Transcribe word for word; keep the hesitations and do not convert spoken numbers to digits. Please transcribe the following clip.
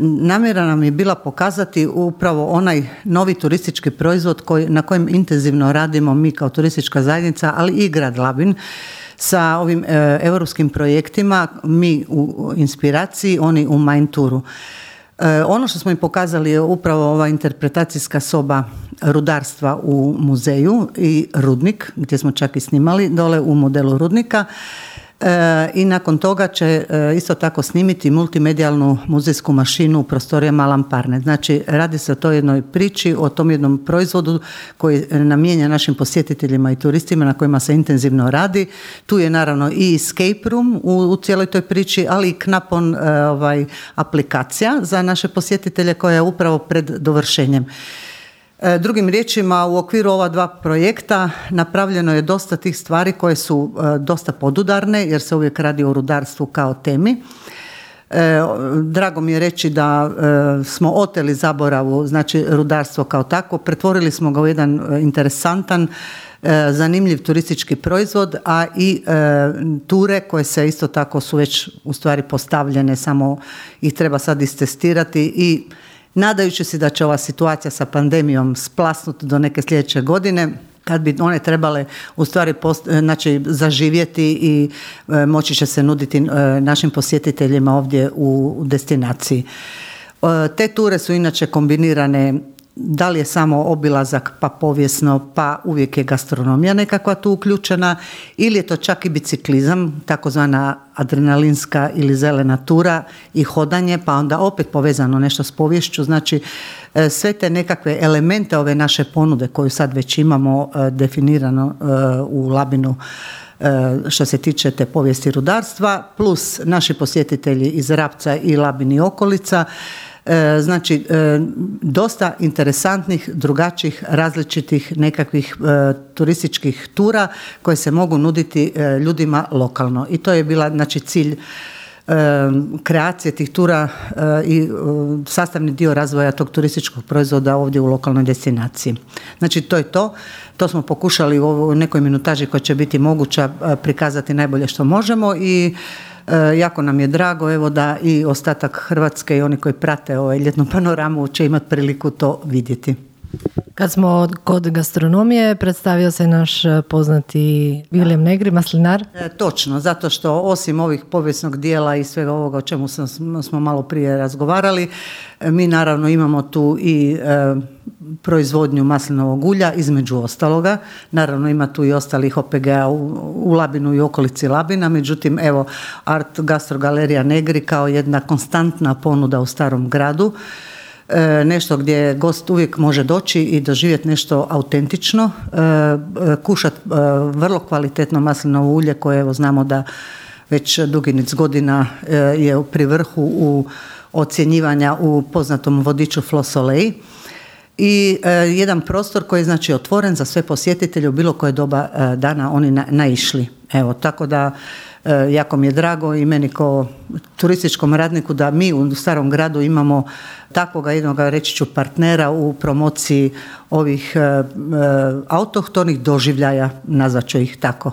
Namjera nam je bila pokazati upravo onaj novi turistički proizvod koji, na kojem intenzivno radimo mi kao turistička zajednica, ali i grad Labin sa ovim e, europskim projektima, mi u inspiraciji, oni u Mind Touru. E, ono što smo im pokazali je upravo ova interpretacijska soba rudarstva u muzeju i Rudnik, gdje smo čak i snimali dole u modelu Rudnika. E, I nakon toga će e, isto tako snimiti multimedijalnu muzejsku mašinu u prostorijama Alan Parnet. Znači, radi se o toj jednoj priči, o tom jednom proizvodu koji namijenja našim posjetiteljima i turistima na kojima se intenzivno radi. Tu je naravno i escape room u, u cijeloj toj priči, ali i Knapon e, ovaj, aplikacija za naše posjetitelje koja je upravo pred dovršenjem. Drugim riječima, u okviru ova dva projekta napravljeno je dosta tih stvari koje su dosta podudarne, jer se uvijek radi o rudarstvu kao temi. Drago mi je reći da smo oteli zaboravu, znači rudarstvo kao takvo, pretvorili smo ga u jedan interesantan, zanimljiv turistički proizvod, a i ture koje se isto tako su već u stvari postavljene, samo ih treba sad istestirati i nadajući se da će ova situacija sa pandemijom splasnuti do neke sljedeće godine, kad bi one trebale u stvari post, znači, zaživjeti i e, moći će se nuditi e, našim posjetiteljima ovdje u, u destinaciji. E, te ture su inače kombinirane, da li je samo obilazak pa povijesno, pa uvijek je gastronomija nekakva tu uključena, ili je to čak i biciklizam, takozvana adrenalinska ili zelena tura i hodanje, pa onda opet povezano nešto s poviješću. Znači, sve te nekakve elemente ove naše ponude koju sad već imamo definirano u Labinu što se tiče te povijesti rudarstva, plus naši posjetitelji iz Rapca i Labin i okolica. Znači, dosta interesantnih, drugačijih, različitih nekakvih e, turističkih tura koje se mogu nuditi e, ljudima lokalno. I to je bila, znači, cilj e, kreacije tih tura e, i e, sastavni dio razvoja tog turističkog proizvoda ovdje u lokalnoj destinaciji. Znači, to je to. To smo pokušali u ovoj nekoj minutaži koja će biti moguća prikazati najbolje što možemo i E, jako nam je drago evo da i ostatak Hrvatske i oni koji prate ovaj ljetnu panoramu će imati priliku to vidjeti. Kad smo kod gastronomije, predstavio se naš poznati Viljem Negri, maslinar. E, točno, zato što osim ovih povijesnog dijela i svega ovoga o čemu sam, smo malo prije razgovarali, mi naravno imamo tu i e, proizvodnju maslinovog ulja, između ostaloga. Naravno ima tu i ostalih O P G-a u, u Labinu i okolici Labina, međutim evo Art Gastro Galerija Negri kao jedna konstantna ponuda u starom gradu. E, nešto gdje gost uvijek može doći i doživjeti nešto autentično, e, kušati e, vrlo kvalitetno maslinovo ulje koje evo znamo da već dugi niz godina e, je pri vrhu u ocjenjivanja u poznatom vodiču Flos Soleil. I e, jedan prostor koji je znači otvoren za sve posjetitelje u bilo koje doba e, dana oni na, naišli. Evo, tako da e, jako mi je drago i meni kao turističkom radniku da mi u starom gradu imamo takvoga jednog, reći ću, partnera u promociji ovih e, e, autohtonih doživljaja, nazvat ću ih tako.